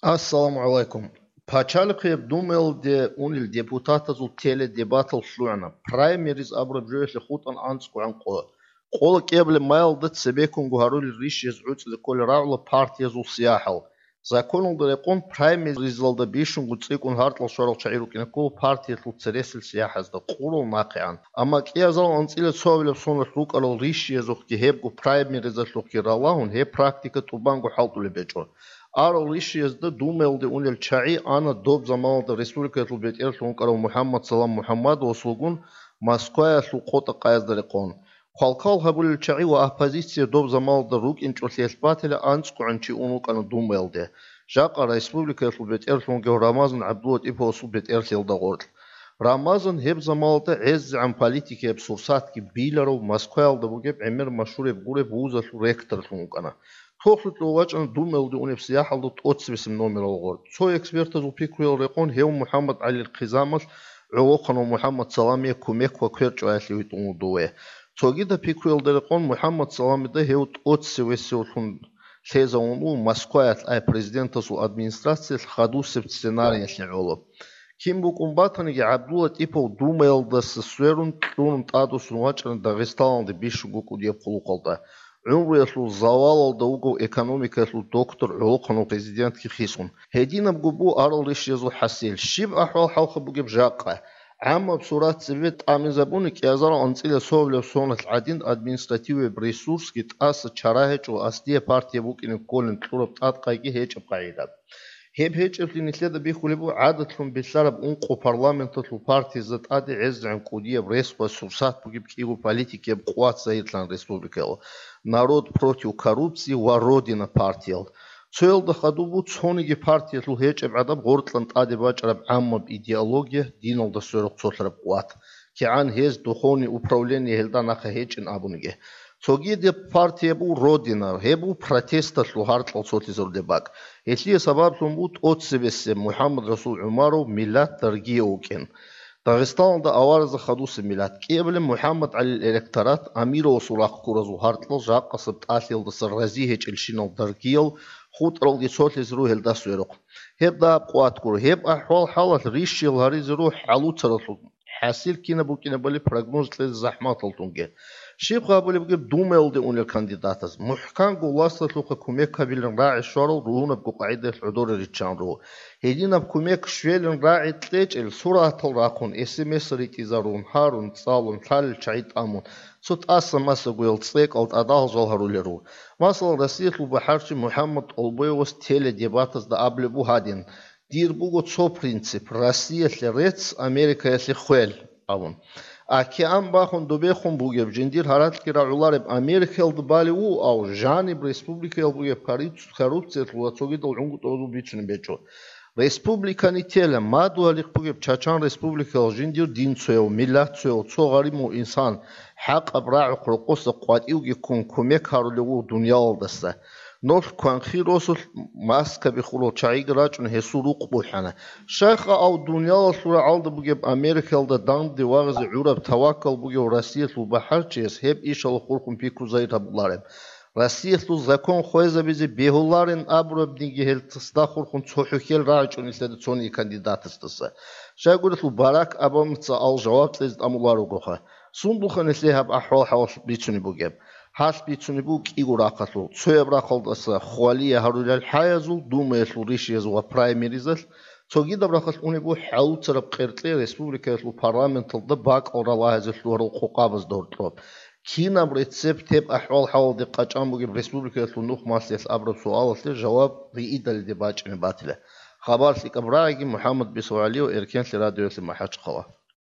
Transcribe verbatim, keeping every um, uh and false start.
Ассаламу гӀалайкум. Пачалихъияб Думаялде унел депутатазул теледебатал лъугӀана. Праймериз абураб жоялъе хутӀана анцӀгогӀан къо. Къола кӀиабилеб майалда цебеккунго гьарулел ришиязул гӀуцӀизе кколел рагӀула партиязул сияхӀал. Законалда рекъон праймеризалда бищунго цӀикӀкӀун гьаркьал щварал чагӀи рукӀине ккола партиялъул цересел сияхӀазда къурал нахъегӀан. Амма кӀиазал анцӀила цоабилеб соналъ рукӀарал ришиязухъги гьебго праймеризалъухъги ралагьун гьеб практика тӀубанго хӀалтӀулеб гьечӀо. Арал ришиязда Думаялде унел чагӀи ана доб заманалда республикаялъул бетӀерлъун вукӀарав МухӀаммад Салам МухӀаммадовас вугун Москваялъул къотӀа-къаязда рекъон. Хъвалккал гьабулел чагӀи ва оппозиция доб заманалда рукӀинчӀолъиялъ батила анцӀгогӀан чи ун вукӀана Думаялде, жакъа республикаялъул бетӀерлъун вугев Рамазан ГӀабдулатӀиповасул бетӀерлъиялда гъоркь. Рамазан гьеб заманалда гӀезегӀан политикияб сурсатги биларав Москваялда бугеб гӀемер машгьуреб гуреб вузалъул ректорлъун вукӀана. Тохлъукьев вачӀана Думаялде унеб сияхӀалда тӀоцебесеб номерал гъоркь. Цо экспертазул пикруял рекъон гьев МухӀаммад ГӀалил хъизамалъ гӀолохъанав МухӀаммад Саламие кумек ва квер чӀваялъе витӀун вуго ве. Цогидаб пикруялда рекъон МухӀаммад Саламида гьев тӀоцевесевлъун лъезавун вуго Москваялъ, ай президентасул администрациялъ хадусеб сценариялъе гӀоло. Кин букӀун батаниги, ГӀабдулатӀипов Думаялдаса сверун, кьурун тӀадвуссун вачӀана Дагъистаналде бищунго кӀудияб хъулухъалда. ГӀумруялъул завалалда вугев экономикаялъул доктор гӀолохъанав президентги хисун. Гьединабго буго арал ришиязул хӀасил. Щиб ахӀвал-хӀалха бугеб жакъа? ГӀаммаб сурат цебе тӀамизабуни, кӀиазарал анцӀила цоабилеб соналъ гӀадин административияб ресурсги тӀаса чара гьечӀо, аслияб партия букӀине кколин кьураб тӀадкъайги гьечӀеб къагӀида. Гьеб гьечӀеблъи нилъеда бихьулеб буго гӀадатлъун билълъараб ункъо парламенталъул партиязда тӀаде гӀезегӀан кӀудияб рес ва сурсат бугеб кӀиго политикияб къуват загьирлъан республикаялъ: «Народ против коррупции» ва «Родина» партиял. Цоялда хадуб буго цониги партиялъул гьечӀеб гӀадаб гъоркьан тӀаде бачӀараб гӀаммаб идеология, диналда сверухъ цолъараб къуват, кигӀан гьез духовный управление гьелда нахъа гьечӀин абуниги. Цогидаб партия буго «Родина», гьеб буго протесталъул гьаркьал цолъизарулеб бакӀ. Гьелъие сабаблъун буго тӀоцебесеб МухӀаммад-Расул ГӀумаров миллат даргие вукӀин. Дагъистаналда аваразда хадусеб миллат. КӀиабилеб МухӀаммад ГӀалил электорат, Амировасул рахъ ккуразул гьаркьал жакъасеб тӀалъиялдаса рази гьечӀелщинал даргиял хутӀаралги цолъизе руго гьелда сверухъ. Гьеб дагьаб къуват гуро. Гьеб ахӀвал-хӀалалъ ришиял гьаризе руго хӀалуцаралъул. ХӀасил кинаб букӀинабали прогноз кьезе захӀматал тунги. Щиб гьабулеб бугеб Думаялде унел кандидатаз? МухӀканго власталъухъа кумек гьабилин рагӀи щварал ругьунабго къагӀидаялъ гӀодоре риччан руго. Гьединаб кумек щвелин рагӀи кьечӀел суратал рахъун, эс эм эс ритӀизарун, гьарун, цӀалун, лъалел чагӀи тӀамун, цо тӀаса-масагоял цӀекӀал тӀадал жал гьарулел руго. Масала, Россиялъул бахӀарчи МухӀаммад ТӀолбоевас теледебатазда абулеб буго гьадин: «Дир буго цо принцип: Россиялъе рецц, Америкаялъе хвел», – абун. А кигӀан бахун добехун бугеб, жиндир гьаракьги рагӀулареб Америкаялда балев вуго, ав жаниб республикаял бугеб коррупци-, коррупциялъул ва цогидал гӀунгутӀазул бицунеб гьечӀо. Республикани тела, мадугьалихъ бугеб Чачан республикаялъ жиндир дин цояв, миллат цояв, цо гъаримав инсан хӀакъаб рагӀухъ рокъоса къватӀивги ккун кумек гьарулев вуго дуниялалдаса. Нолъ кванхъи росулъ маскаби хурал чагӀиги рачӀун гьесул рукъ бухӀана. Щайха ав дуниялалъул рагӀалда бугеб Америкаялда данде вагъизе гӀураб таваккал бугев Россиялъул бахӀарчияс гьеб ишалъухъ хурхун пикру загьир гьабулареб? Россиялъул закон хвезабизе бегьуларин абурабниги гьелдасда хурхун цо хӀухьел рагӀичӀо нилъеда цониги кандидатасдаса. Щайгурелъул Барак Обамаца ал жаваб кьезе тӀамуларогоха. Сундулха нилъее гьаб ахӀвал-хӀалалъ бицунеб бугеб? Гьалъ бицунеб буго кӀиго рахъалъул. Цояб рахъалдаса хвалие гьарулел хӀаязул, Думаялъул ришияз ва праймеризалъ, цогидаб рахъалъ унеб буго хӀалуцараб къеркье республикаялъул парламенталда бакӀал ралагьизе лъугьарал хъукъабазда гьоркьоб. Кинаб рецепт гьеб ахӀвал-хӀалалде къачӀан бугеб республикаялъул нух малъиялъ абураб суалалъе жаваб риидалиде бачӀине батила. Хабар лъикӀаб рагӀиги, МухӀаммад БицвагӀалиев, Эркенлъи радиоялъе МахӀачхъала.